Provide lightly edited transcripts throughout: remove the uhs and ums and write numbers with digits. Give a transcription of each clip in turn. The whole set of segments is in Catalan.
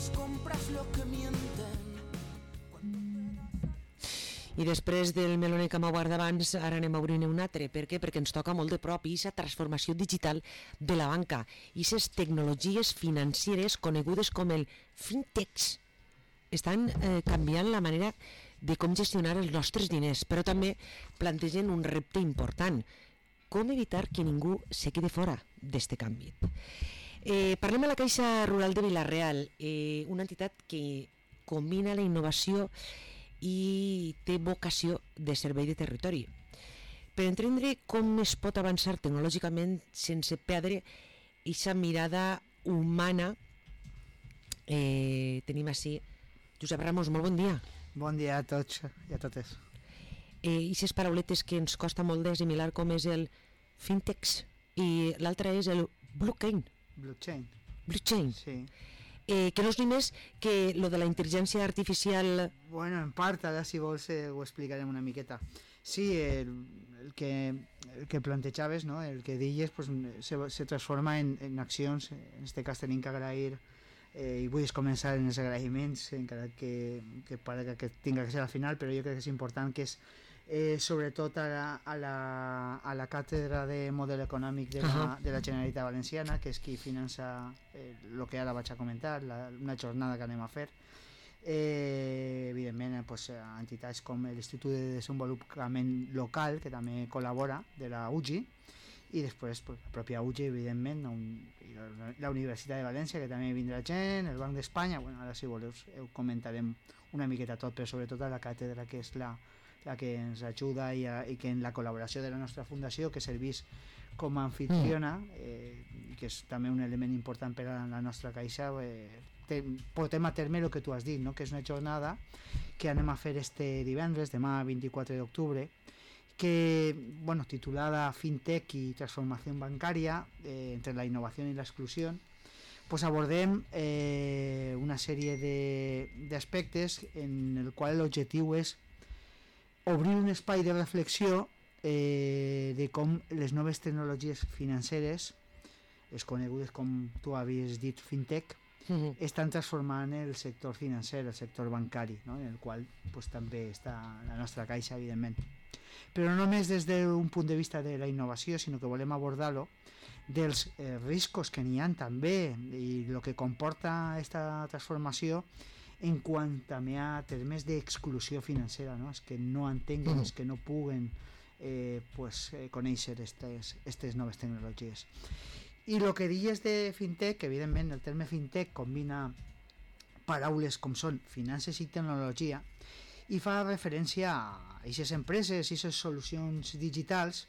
las compras lo que mienten. I després del meloner que m'ha guardat abans, ara anem a obrir un altre. Per què? Perquè ens toca molt de prop i aquesta transformació digital de la banca, i aquestes tecnologies financeres conegudes com el fintechs estan canviant la manera de com gestionar els nostres diners, però també plantegen un repte important: com evitar que ningú se quede fora d'este canvi. Parlem a la Caixa Rural de Vila-real, una entitat que combina la innovació i té vocació de servei de territori. Per entendre com es pot avançar tecnològicament sense perdre aquesta mirada humana, tenim així Josep Ramos. Molt bon dia. Bon dia a tots i a totes. I aquestes parauletes que ens costa molt d'assimilar, com és el fintechs i l'altre és el blockchain. Blockchain. Sí. Que no és ni més que lo de la intel·ligència artificial. Bueno, en part, ara si vols ho explicarem una miqueta. Sí, el que plantejaves, no? El que deies, pues, se transforma en accions. En aquest cas tenim que agrair, i vull començar en els agraïments, encara que pare que tinga que ser al final, però jo crec que és important, que és sobretot a la càtedra de model econòmic de la Generalitat Valenciana, que és qui finança el que ara vaig a comentar, una jornada que anem a fer. Evidentment, pues, entitats com l'Institut de Desenvolupament Local, que també col·labora, de la UGI, i després pues, la pròpia UGI, evidentment, la Universitat de València, que també vindrà gent, el Banc d'Espanya. Bueno, ara si voleu ho comentarem una miqueta tot, però sobretot a la càtedra, que és la que ens ajuda, i que en la col·laboració de la nostra fundació, que serveix com a anfitriona, que és també un element important per a la nostra caixa, portem a terme el que tu has dit, no? Que és una jornada que anem a fer este divendres, demà 24 d'octubre, que, bueno, titulada Fintech y transformación bancaria, entre la innovación y la exclusión. Pues abordem una sèrie d'aspectes en el qual l'objectiu és obrir un espai de reflexió de com les noves tecnologies financeres, les conegudes com tu havies dit fintech, estan transformant el sector financer, el sector bancari, no? En el qual pues, també està la nostra caixa, evidentment. Però no només des d'un punt de vista de la innovació, sinó que volem abordar-lo dels riscos que n'hi ha també, i el que comporta aquesta transformació en quant també a termes d'exclusió financera, no? És que no entenguen, és que no puguen conèixer aquestes noves tecnologies. I el que dius de fintech, evidentment el terme fintech combina paraules com són finances i tecnologia, i fa referència a aquestes empreses, a aquestes solucions digitals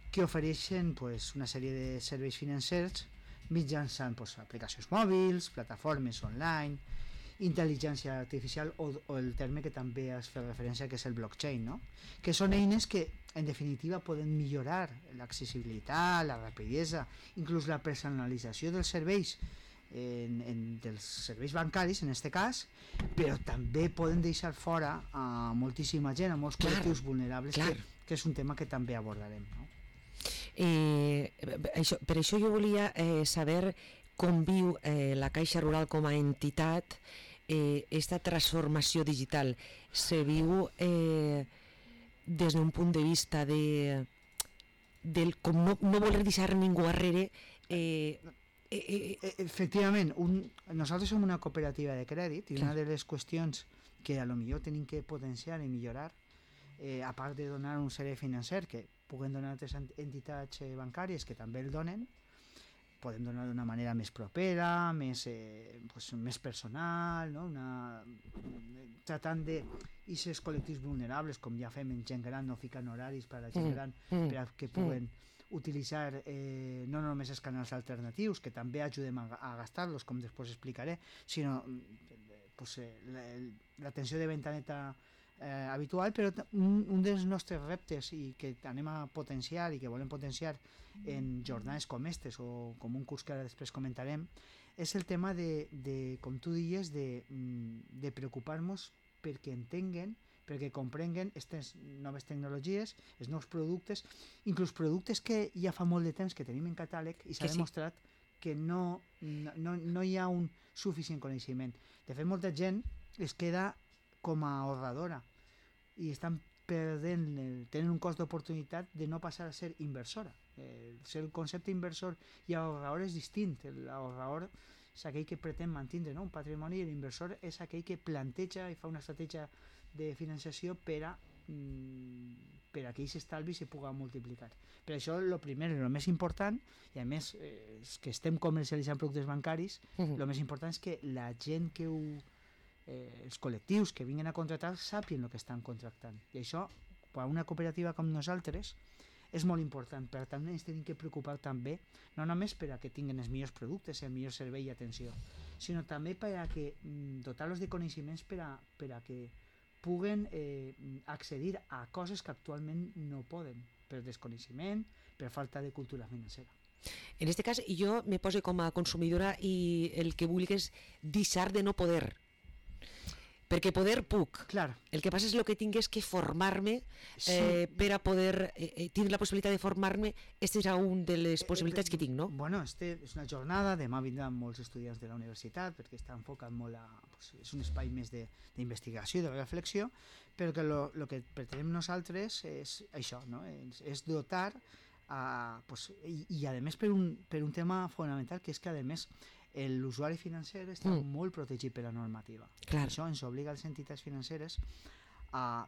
que ofereixen pues, una sèrie de serveis financers mitjançant pues, aplicacions mòbils, plataformes online, intel·ligència artificial o el terme que també has fet referència, que és el blockchain, no? Que són eines que en definitiva poden millorar l'accessibilitat, la rapidesa, inclús la personalització dels serveis, dels serveis bancaris en aquest cas, però també poden deixar fora a moltíssima gent, a molts col·lectius vulnerables, que és un tema que també abordarem, no? Per això jo volia saber com viu la Caixa Rural com a entitat esta transformació digital. Se viu des d'un punt de vista del com no voler deixar ningú darrere. Efectivament, nosaltres som una cooperativa de crèdit, i una de les qüestions que a lo millor tenim que potenciar i millorar, a part de donar un servei financer que puguen donar altres entitats bancàries que també el donen, podem donar d'una manera més propera, més personal, no? Tratant d'aquests col·lectius vulnerables, com ja fem en gent gran, no ficant horaris per a la gent gran, per a que puguen utilitzar no només els canals alternatius, que també ajudem a gastar-los, com després explicaré, sinó l'atenció de ventaneta habitual, però un dels nostres reptes i que anem a potenciar i que volem potenciar en jornades com aquestes o com un curs que ara després comentarem, és el tema de com tu dius, de preocupar-nos perquè entenguen, perquè comprenguen aquestes noves tecnologies, els nous productes, inclús productes que ja fa molt de temps que tenim en catàleg i s'ha demostrat que no hi ha un suficient coneixement. De fet, molta gent es queda com a ahorradora i estan tenen un cost d'oportunitat de no passar a ser inversora. El concepte inversor i ahorrador és distint. L'ahorrador és aquell que pretén mantenir, no, un patrimoni, i l'inversor és aquell que planteja i fa una estratègia de financiació per a que aquests estalvis se puguen multiplicar. Per això, el primer, el més important, i a més és que estem comercialitzant productes bancaris, el més important és que la gent que els col·lectius que vinguin a contractar sàpien el que estan contractant. I això, per a una cooperativa com nosaltres, és molt important. Per tant, ens tenim que preocupar també, no només per a que tinguin els millors productes, el millor servei i atenció, sinó també per a que dotar-los de coneixements per a que puguen accedir a coses que actualment no poden, per desconeixement, per falta de cultura financera. En aquest cas, jo me poso com a consumidora i el que vull és deixar de no poder. Perquè poder puc. Clar. El que passa és que tinc és que formar-me per a poder tenir la possibilitat de formar-me. Aquesta és una de les possibilitats que tinc, no? Bueno, és una jornada, demà vindran molts estudiants de la universitat perquè està enfocat molt és un espai més d'investigació i de reflexió, però que el que pretenem nosaltres és això, no? És dotar i a més per un tema fonamental, que és que a més l'usuari financer està molt protegit per la normativa. Clar. Això ens obliga a les entitats financeres a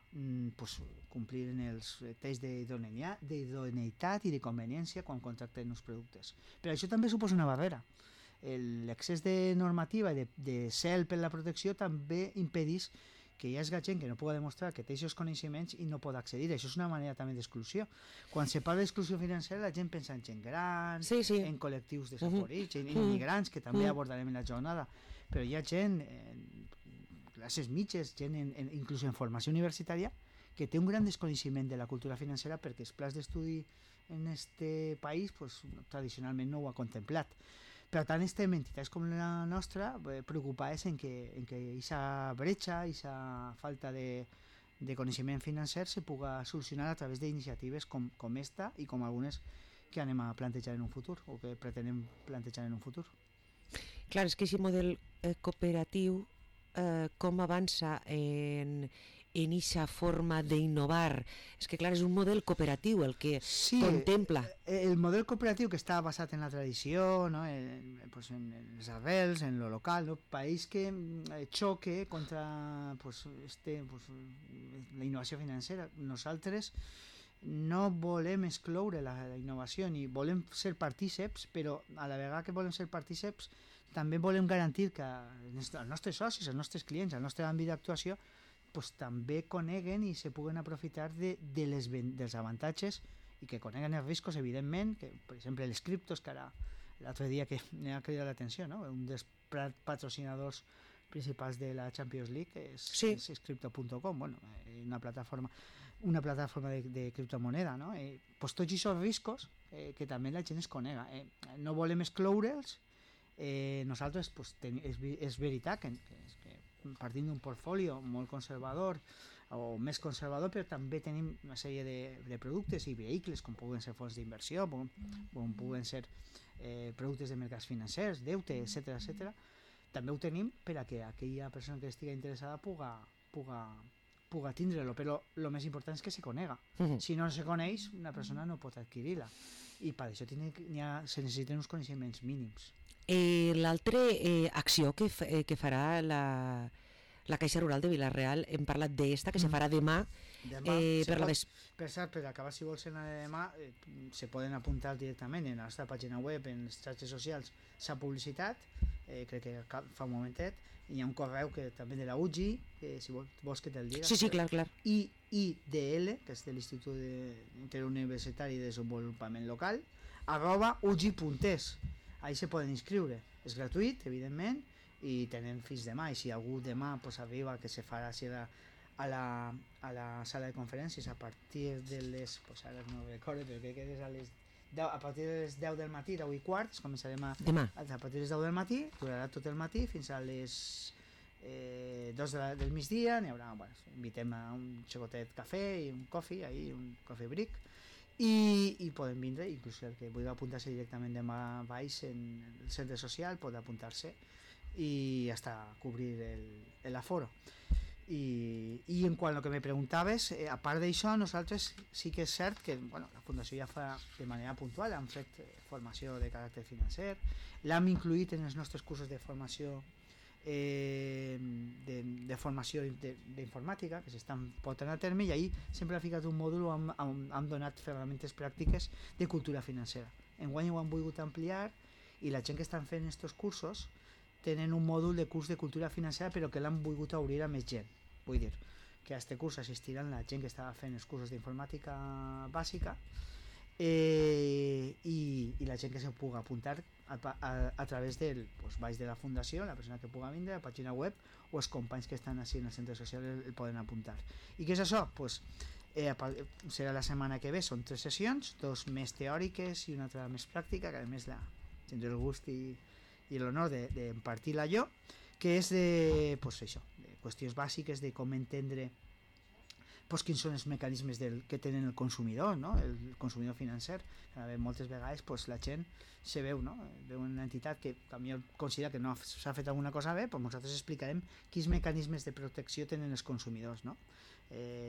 complir en els tests d'idoneïtat i de conveniència quan contracten els productes. Però això també suposa una barrera. L'excés de normativa i de zel per la protecció també impedeix que hi hagi gent que no pugui demostrar que té aquests coneixements i no pot accedir. Això és una manera també d'exclusió. Quan se parla d'exclusió financera, la gent pensa en gent gran, en col·lectius desafavorits, en immigrants, que també abordarem en la jornada. Però hi ha gent, classes mitges, gent inclús en formació universitària, que té un gran desconeixement de la cultura financera perquè els plans d'estudi en aquest país tradicionalment no ho ha contemplat. Per tant, estem entitats com la nostra preocupades en que aquesta bretxa, aquesta falta de coneixement financer se puga solucionar a través d'iniciatives com esta i com algunes que anem a plantejar en un futur o que pretenem plantejar en un futur. Clar, és que aquest model cooperatiu com avança en aquesta forma d'innovar. És que clar, és un model cooperatiu el que contempla. El model cooperatiu que està basat en la tradició, no? en les arrels, en lo local, no? País que xoque contra la innovació financera. Nosaltres no volem excloure la innovació ni volem ser partíceps, però a la vegada que volem ser partíceps també volem garantir que els nostres socis, els nostres clients, el nostre àmbit d'actuació també coneguen i se puguen aprofitar dels avantatges i que coneguen els riscos, evidentment, que per exemple les criptos, que ara l'altre dia que m'ha cridat l'atenció, no? Un dels patrocinadors principals de la Champions League és crypto.com, una plataforma de criptomoneda, no? Tots aquests riscos que també la gent es conega. No volem excloure'ls. Nosaltres és veritat que partint d'un portfolio molt conservador o més conservador, però també tenim una sèrie de productes i vehicles com puguen ser fons d'inversió, com puguen ser productes de mercats financers, deute, etc. També ho tenim per a que aquella persona que estigui interessada puga tindre-lo, però el més important és que se conega. Si no se coneix, una persona no pot adquirir-la i per això se necessiten uns coneixements mínims. L'altra acció que farà la Caixa Rural de Vila-real, hem parlat d'esta, que se farà demà per cert, per acabar, si vols anar demà se poden apuntar directament en la nostra pàgina web, en les xarxes socials s'ha publicitat, crec que fa un momentet, hi ha un correu que també de la UGI, si vols que te'l diga. Sí, clar. IIDL, que és de l'Institut Interuniversitari de Desenvolupament Local, @ugi.es. Ahí se poden inscriure. És gratuït, evidentment, i tenen fins demà. I si algú demà arriba, que se farà a la sala de conferències a partir de les... ara no recordo, però crec que és a partir de les 10 del matí, 10 i quart, començarem a partir de les 10 del matí, durarà tot el matí fins a les 2 del migdia. N'hi haurà, invitem a un xocotet cafè i un coffee brick, i podem vindre, inclús el que vulgui apuntar-se directament demà baix en el centre social pot apuntar-se i hasta cobrir el aforo. I en quant al que me preguntaves, a part d'això, nosaltres sí que és cert que la Fundació ja fa de manera puntual, hem fet formació de caràcter financer, l'hem incluït en els nostres cursos de formació de formació d'informàtica que s'estan portant a terme, i ahir sempre ha ficat un mòdul on hem donat ferramentes pràctiques de cultura financera. Enguany ho hem volgut ampliar i la gent que estan fent aquests cursos tenen un mòdul de curs de cultura financera, però que l'han volgut obrir a més gent. Vull dir que a aquest curs assistiran la gent que estava fent els cursos d'informàtica bàsica i la gent que se pugui apuntar a través del baix de la Fundació, la persona que pugui vindre, la pàgina web, o els companys que estan així en el centre social el poden apuntar. I què és això? Serà la setmana que ve, són 3 sessions, 2 més teòriques i una altra més pràctica, que a més tindré el gust i l'honor d'impartir-la jo, que és de qüestions bàsiques de com entendre quins són els mecanismes que tenen el consumidor, no? El consumidor financer. Moltes vegades la gent se veu una entitat que també considera que no s'ha fet alguna cosa bé, nosaltres explicarem quins mecanismes de protecció tenen els consumidors, no?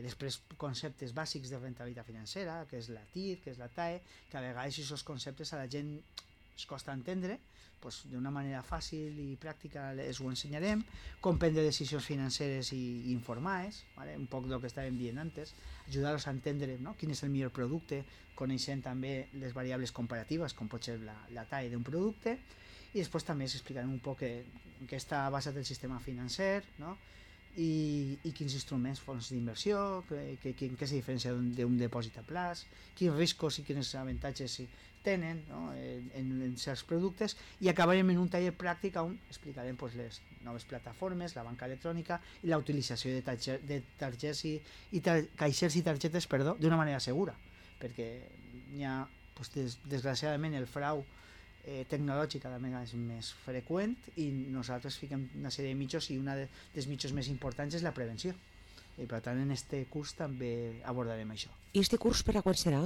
Després conceptes bàsics de rentabilitat financera, que és la TIR, que és la TAE, que a vegades aquests conceptes a la gent es costa entendre, d'una manera fàcil i pràctica us ho ensenyarem, com prendre decisions financeres i informades, un poc del que estàvem dient antes, ajudar-los a entendre quin és el millor producte, coneixent també les variables comparatives, com pot ser la TAE d'un producte, i després també s'explicarem un poc en què està basat el sistema financer, i quins instruments, fons d'inversió, què se diferencia d'un depòsit a plaç, quins riscos i quins avantatges tenen en certs productes, i acabarem en un taller pràctic on explicarem les noves plataformes, la banca electrònica i la utilització de targets caixers i targetes d'una manera segura, perquè hi ha desgraciadament el frau tecnològic cada vegada és més freqüent i nosaltres fiquem una sèrie de mitjos, i una dels mitjos més importants és la prevenció, i per tant en este curs també abordarem això. I este curs per a quan serà?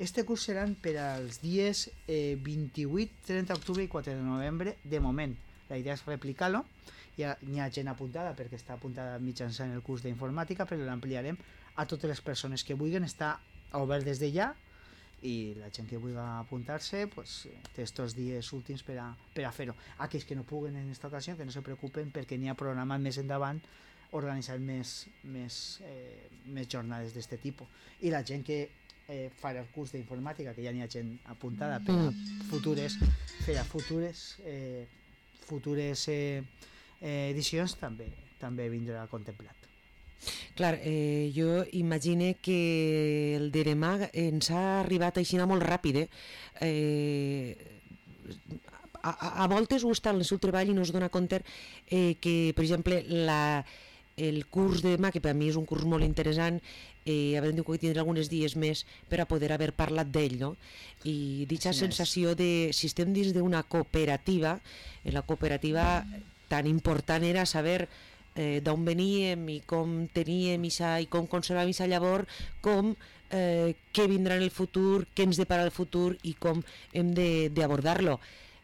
Este curs seran per als dies 28, 30 d'octubre i 4 de novembre de moment. La idea és replicar-lo, hi ha gent apuntada perquè està apuntada mitjançant el curs d'informàtica, però l'ampliarem a totes les persones que vulguin, està obert des de ja, i la gent que vulgui apuntar-se té estos dies últims per a fer-ho. Aquells que no puguen en aquesta ocasió, que no se preocupen, perquè n'hi ha programat més endavant organitzar més jornades d'aquest tipus. I la gent que farà el curs d'informàtica, que ja n'hi ha gent apuntada per a futures edicions, també vindrà contemplat. Clar, jo imagine que el de demà ens ha arribat així molt ràpid, a voltes ho està en el seu treball i no es dona compte que, per exemple, el curs de demà, que per a mi és un curs molt interessant, haurem de tindre alguns dies més per a poder haver parlat d'ell, no? I dicha sensació de, si estem dins d'una cooperativa, la cooperativa tan important era saber d'on veníem i com teníem i com conservàvem aquesta llavor, com què vindrà en el futur, què ens depara el futur i com hem d'abordar-lo.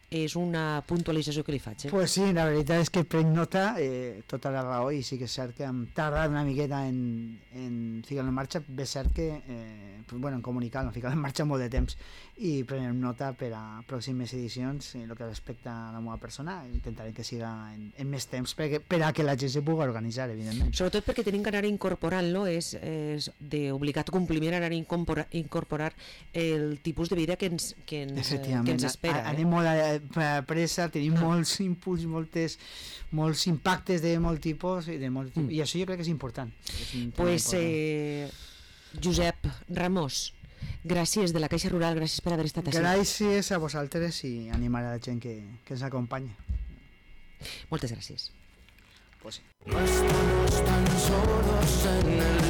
És una puntualització que li faig. Pues sí, la veritat és que prenc nota, tota la raó, i sí que és cert que hem tardat una miqueta en ficar-lo en marxa. Bé, cert que en comunicar-lo, ficar-lo en marxa molt de temps, i prenem nota per a pròximes edicions. En el que respecta a la meva persona, intentarem que siga en més temps per a que la gent se pugui organitzar, evidentment. Sobretot perquè tenim que anar incorporant-lo, és d'obligat compliment anar a incorporar el tipus de vida que ens espera. Anem molt a pressa, tenim molts inputs, molts impactes de molt tipus, i això jo crec que és important. Pues Josep Ramós, gràcies de la Caixa Rural, gràcies per haver estat així. Gràcies a vosaltres i animar a la gent que ens acompanya. Moltes gràcies. Pues sí. No estamos tan solos en el